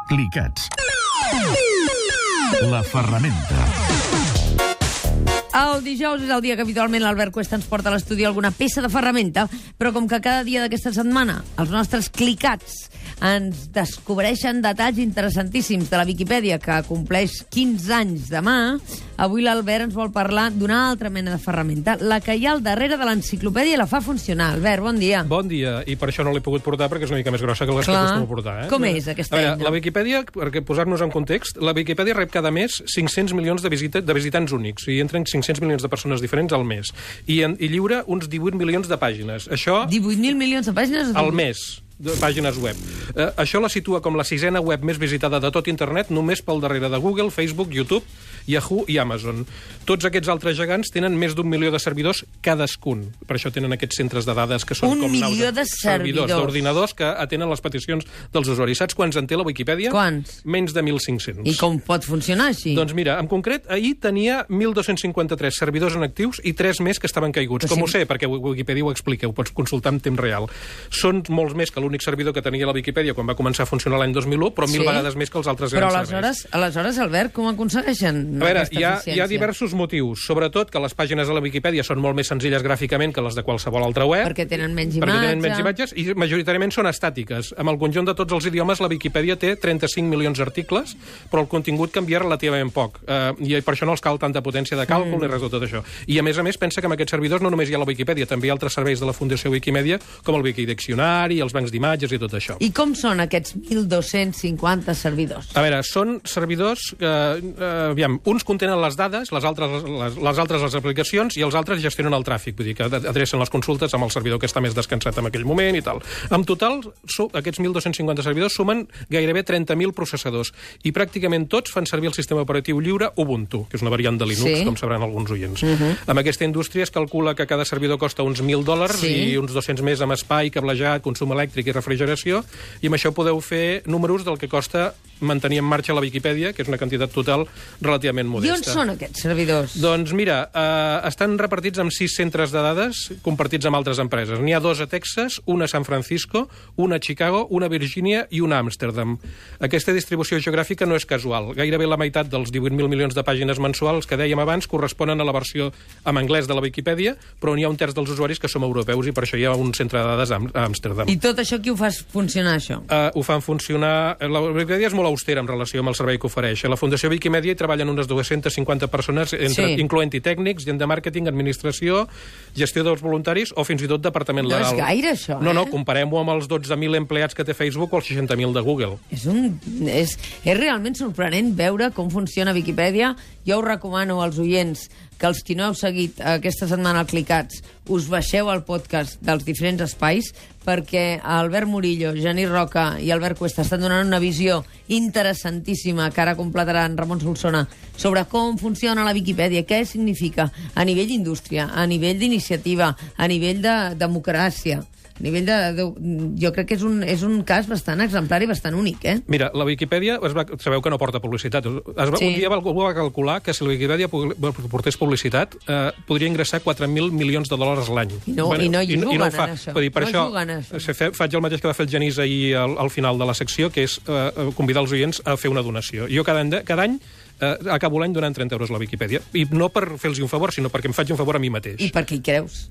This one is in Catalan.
Clicats. La ferramenta. El dijous és el dia que habitualment l'Albert Cuesta ens porta a l'estudi alguna peça de ferramenta, però com que cada dia d'aquesta setmana els nostres clicats ens descobreixen detalls interessantíssims de la Viquipèdia, que compleix 15 anys demà, avui l'Albert ens vol parlar d'una altra mena de ferramenta, la que hi ha al darrere de l'enciclopèdia i la fa funcionar. Albert, bon dia. Bon dia, i per això no l'he pogut portar, perquè és una mica més grossa que les que acostumo a portar. Com és aquesta eina? La Viquipèdia, perquè posar-nos en context, la Viquipèdia rep cada mes 500 milions de visitants únics, i entren 500 milions de persones diferents al mes, i lliura uns 18 milions de pàgines. Això... 18.000 milions de pàgines? Al mes, de pàgines web. Això la situa com la 6ena web més visitada de tot internet, només pel darrere de Google, Facebook, YouTube, Yahoo i Amazon. Tots aquests altres gegants tenen més d'1 milió de servidors cadascun. Per això tenen aquests centres de dades que són com naus de servidors d'ordinadors que atenen les peticions dels usuaris. Saps quants en té la Viquipèdia? Quants? Menys de 1.500. I com pot funcionar així? Doncs mira, en concret, ahir tenia 1.253 servidors en actius i 3 més que estaven caiguts. Com ho sé? Perquè Wikipedia ho explica, ho pots consultar en temps real. Són molts més que l'únic servidor que tenia la Viquipèdia quan va començar a funcionar l'any 2001, però 1.000 vegades més que els altres grans serveis. Però aleshores, Albert, com aconsegueixen a veure, aquesta eficiència? Hi ha diversos motius. Sobretot que les pàgines de la Viquipèdia són molt més senzilles gràficament que les de qualsevol altra web. Perquè tenen menys imatges i majoritàriament són estàtiques. Amb el conjunt de tots els idiomes, la Viquipèdia té 35 milions d'articles, però el contingut canvia relativament poc. I per això no els cal tanta potència de càlcul ni res de tot això. I a més, pensa que en aquests servidors no només hi ha la Viquipèdia, també hi ha altres serveis de la Fundació Wikimedia, com el Wikidiccionari, els bancs d'imatges i tot això. I com són aquests 1.250 servidors? A veure, són servidors que, uns contenen les dades, les altres les aplicacions, i els altres gestionen el tràfic, vull dir que adrecen les consultes amb el servidor que està més descansat en aquell moment i tal. En total, aquests 1.250 servidors sumen gairebé 30.000 processadors, i pràcticament tots fan servir el sistema operatiu lliure Ubuntu, que és una variant de Linux, com sabran alguns oients. Amb aquesta indústria es calcula que cada servidor costa uns $1.000 i uns 200 més amb espai, cablejat, consum elèctric i refrigeració, i amb això podeu fer números del que costa mantenir en marxa la Viquipèdia, que és una quantitat total relativament modesta. I on són aquests servidors? Doncs mira, estan repartits en 6 centres de dades compartits amb altres empreses. N'hi ha 2 a Texas, una a San Francisco, una a Chicago, una a Virgínia i una a Amsterdam. Aquesta distribució geogràfica no és casual. Gairebé la meitat dels 18.000 milions de pàgines mensuals que dèiem abans corresponen a la versió en anglès de la Viquipèdia, però n'hi ha un terç dels usuaris que som europeus i per això hi ha un centre de dades a Amsterdam. I tot això qui ho fa funcionar, això? Ho fan funcionar... La Viquipèdia és molt austera en relació amb el servei que ofereix. A la Fundació Wikimedia hi treballen unes 250 persones, incloent-hi tècnics, gent de màrqueting, administració, gestió dels voluntaris o fins i tot departament legal. No és gaire, això, No, comparem-ho amb els 12.000 empleats que té Facebook o els 60.000 de Google. És realment sorprenent veure com funciona Viquipèdia. Jo us recomano als oients que els qui no heu seguit aquesta setmana al Clicats us baixeu el podcast dels diferents espais, perquè Albert Murillo, Genís Roca i Albert Cuesta estan donant una visió interessantíssima que ara completaran Ramon Solsona sobre com funciona la Viquipèdia, què significa a nivell d'indústria, a nivell d'iniciativa, a nivell de democràcia. A nivell jo crec que és un cas bastant exemplar i bastant únic, Mira, la Viquipèdia, sabeu que no porta publicitat. Un dia algú va calcular que si la Viquipèdia portés publicitat, podria ingressar $4.000 milions l'any. I no juguen en això. Per això faig el mateix que va fer el Genís ahir al final de la secció, que és convidar els oients a fer una donació. Jo cada any acabo l'any donant 30 euros a la Viquipèdia. I no per fer-los un favor, sinó perquè em faig un favor a mi mateix. I per què hi creus?